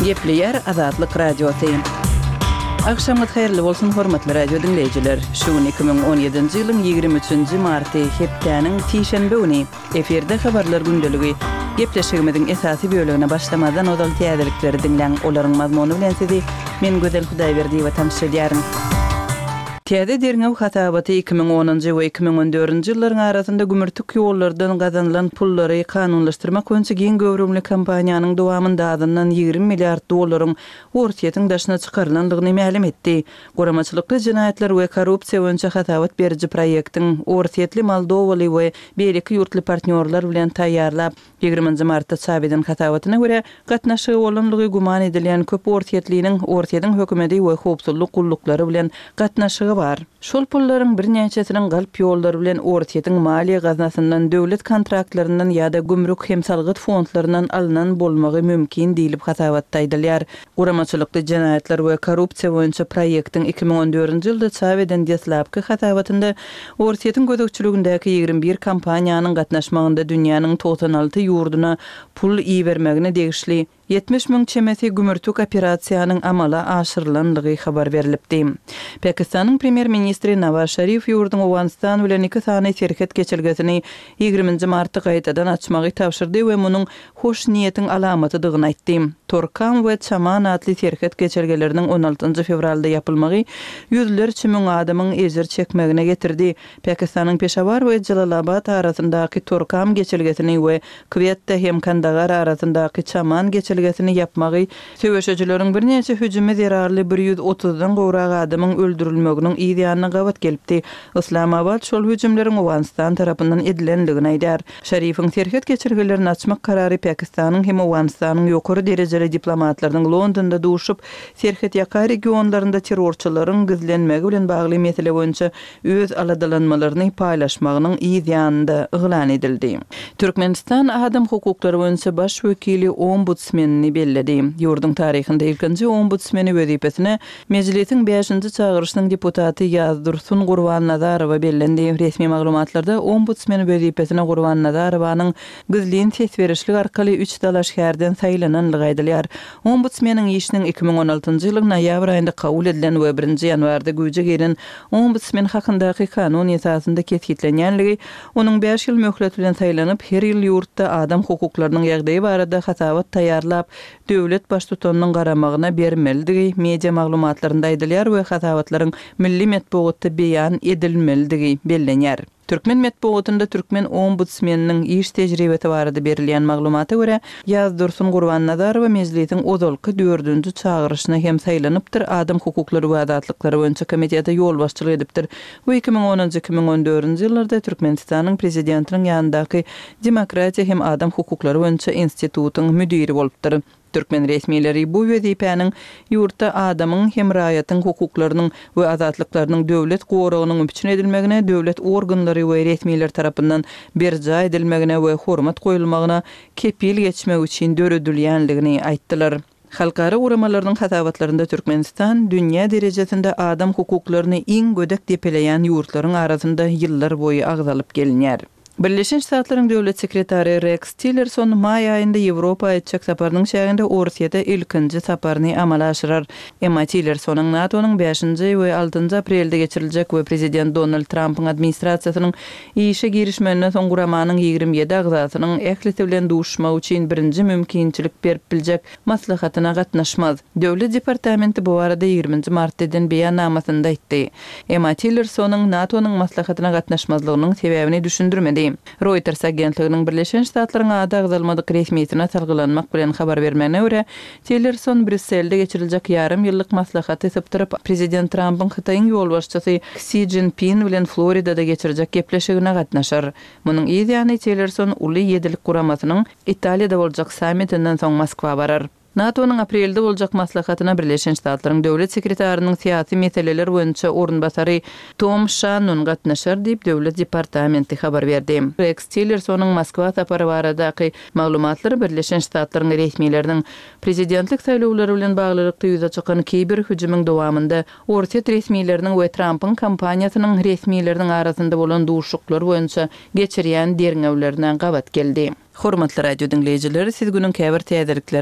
Gepleýär Azatlyk Radiosy. Agşamyňyz haýyrly bolsun, hormatly radio diňleýjiler! Şu gün 2017-nji ýylyň 23-nji marty, hepdäniň sişenbe güni. Efirde Habarlar gündeligi. Gepleşigimiziň esasy bölegine başlamazdan ozal täzelikleri diňläň, olaryň mazmuny bilen sizi men Gözel Hudaýberdiýewa tanyş edýärin. Täze derňew hasabaty 2010-njy we 2014-nji ýyllaryň arasynda gümürtik ýollardan gazanylan pullary kanunlaşdyrmak boýunça giň göwrümli kampaniýanyň dowamynda azyndan 20 milliard dollaryň Orsýetiň daşyna çykarylandygyny mälim etdi. Guramaçylykly jenaýatlar we korrupsiýa boýunça hasabat beriji proýektiň orsýetli, moldowaly we beýleki ýurtly partnýorlar bilen taýýarlap, ýigriminji martda çap eden hasabatyna görä, gatnaşygy bolanlygy güman edilýän köp orsýetliniň Orsýetiň hökümeti we howpsuzlyk gulluklary bilen gatnaşygy bar. Şol pullaryň birnäçesiniň galp ýollar bilen Orsýetiň maliýe gaznasyndan, döwlet kontraktlaryndan ýa-da gümrük hem salgyt fondlaryndan alnan bolmagy mümkin diýlip hasabatda aýdylýar. Guramaçylykly jenaýatlar we korrupsiýa boýunça proýektiň 2014-nji ýylda çap eden deslapky hasabatynda Orsýetiň gözegçiligindäki 21 kompaniýanyň gatnaşmagynda dünýäniň 96 ýurduna pul ibermegine degişli 70 müň çemesi gümürtik operasiýanyň amala aşyrylandygy habar berlipdi. Pakistanyň premýer-ministri Nawaz Şarif ýurduň Owganystan bilen iki sany serhet geçelgesini ýigriminji martda gaýtadan açmagy tabşyrdy we munuň hoş niýetiň alamatydygyny aýtdy. Torkam we Çaman atly serhet geçelgeleriniň on altynjy fewralda ýapylmagy ýüzlerçe müň adamyň ejir çekmegine getirdi. Pakistanyň Peşawar we Jelalabat arasyndaky Torkam geçelgesini we Kwetta hem Kandagar arasyndaky Çaman geçelgesini ýapmagy söweşijileriň birnäçe hüjümi zerarly bir ýüz otuzdan gowrak adamyň öldürilmeginiň yz ýanyna gabat gelipdi. Yslamabat şol hüjümleriň Owganystan tarapyndan edilendigini aýdýar. Şarifiň serhet geçelgelerini açmak karary Pakistanyň hem Owganystanyň ýokary derejeli diplomatlarynyň Londonda duşup, serhetýaka regionlarynda terrorçylaryň gizlenmegi bilen bagly mesele boýunça öz aladalanmalaryny paýlaşmagynyň yz ýanynda yglan edildi. Türkmenistan adam hukuklary boýunça baş wekili ombudsmenini belledi. Ýurduň taryhynda ilkinji ombudsmeni wezipesine Mejlisiň bäşinji çagyryşynyň deputaty Ýazdursun Gurbannazarowa bellendi. Resmi maglumatlarda ombudsmen wezipesine Gurbannazarowanyň gizlin ses berişlik arkaly üç dalaşgärden saýlananlygy aýdylýar. Ombudsmeniň işiniň 2016-njy ýylyň noýabr aýynda kabul edilen we birinji ýanwarda güýje giren Ombudsmen hakyndaky kanun esasynda kesgitlenýänligi, onuň bäş ýyl möhlet bilen saýlanyp, her ýyl ýurtda adam hukuklarynyň ýagdaýy barada hasabat taýýarlap, döwlet Baştutanynyň garamagyna bermelidigi media maglumatlarynda aýdylýar we hasabatlaryň milli metbugatda beýan edilmelidigi bellenýär. Türkmen metbugatynda türkmen ombudsmeniniň iş tejribesi barada berilýän maglumata görä, Ýazdursun Gurbannazarowa Mejlisiň ozalky dördünji çagyryşyna hem saýlanypdyr, Adam hukuklary we azatlyklary boýunça komitete ýolbaşçylyk edipdir we 2010-njy, 2014-nji ýyllarda Türkmenistanyň Prezidentiniň ýanyndaky Demokratiýa hem adam hukuklary boýunça institutyň müdiri bolupdyr. Türkmen resmileri bu wezipäniň ýurtda adamyň hem raýatyň hukuklarynyň we azatlyklarynyň döwlet goragynyň üpjün edilmegine, döwlet organlary we resmiler tarapyndan berjaý edilmegine we hormat goýulmagyna kepil geçmek üçin döredilýändigini aýtdylar. Halkara guramalarynyň hasabatlarynda Türkmenistan dünýä derejesinde adam hukuklaryny iň gödek depeleýän ýurtlaryň arasynda ýyllar boýy agzalyp gelinýär. Birleşen Ştatlaryň döwlet sekretary Reks Tillerson maý aýynda Ýewropa etjek saparynyň çäginde Orsýete ilkinji saparyny amala aşyrar. Emma Tillersonyň NATO-nyň bäşinji we altynjy aprelde geçiriljek we prezident Donald Trampyň administrasiýasynyň işe girişmeginden soň guramanyň 27 agzasynyň ählisi bilen duşuşmak üçin birinji mümkinçilik berip biljek maslahatyna gatnaşmaz. Döwlet departamenti bu barada ýigriminji martda eden beýannamasynda aýtdy. Emma Tillersonyň NATO-nyň maslahatyna gatnaşmazlygynyň sebäbini düşündirmedi. Reuters agentliginiň Birleşen Ştatlaryň ady agzalmadyk resmisine salgylanmak bilen habar bermegine görä, Tillerson Brýusselde geçiriljek ýarym ýyllyk maslahaty sypdyryp, prezident Trampyň Hytaýyň ýolbaşçysy Ksi Szinpin bilen Floridada geçirjek gepleşigine gatnaşar. Munuň yz ýany Tillerson Uly ýedilik guramasynyň Italiýada boljak sammitinden soň Moskwa barar. NATO-nyň aprelde boljak maslahatyna Birleşen Ştatlaryň Döwlet sekretarynyň syýasy meseleler boýunça orunbasary Tom Şannon gatnaşar diýip, Döwlet departamenti habar berdi. Reks Tillersonyň Moskwa sapary baradaky maglumatlar Birleşen Ştatlaryň resmileriniň prezidentlik saýlawlary bilen baglylykda ýüze çykan kiber hüjümiň dowamynda Orsýet resmileriniň we Trampyň kampaniýasynyň resmileriniň arasynda bolan duşuşyklar boýunça geçirýän derňewlerine gabat geldi. Hormatly radio diňleýjiler, siz günüň käbir täzelikleri.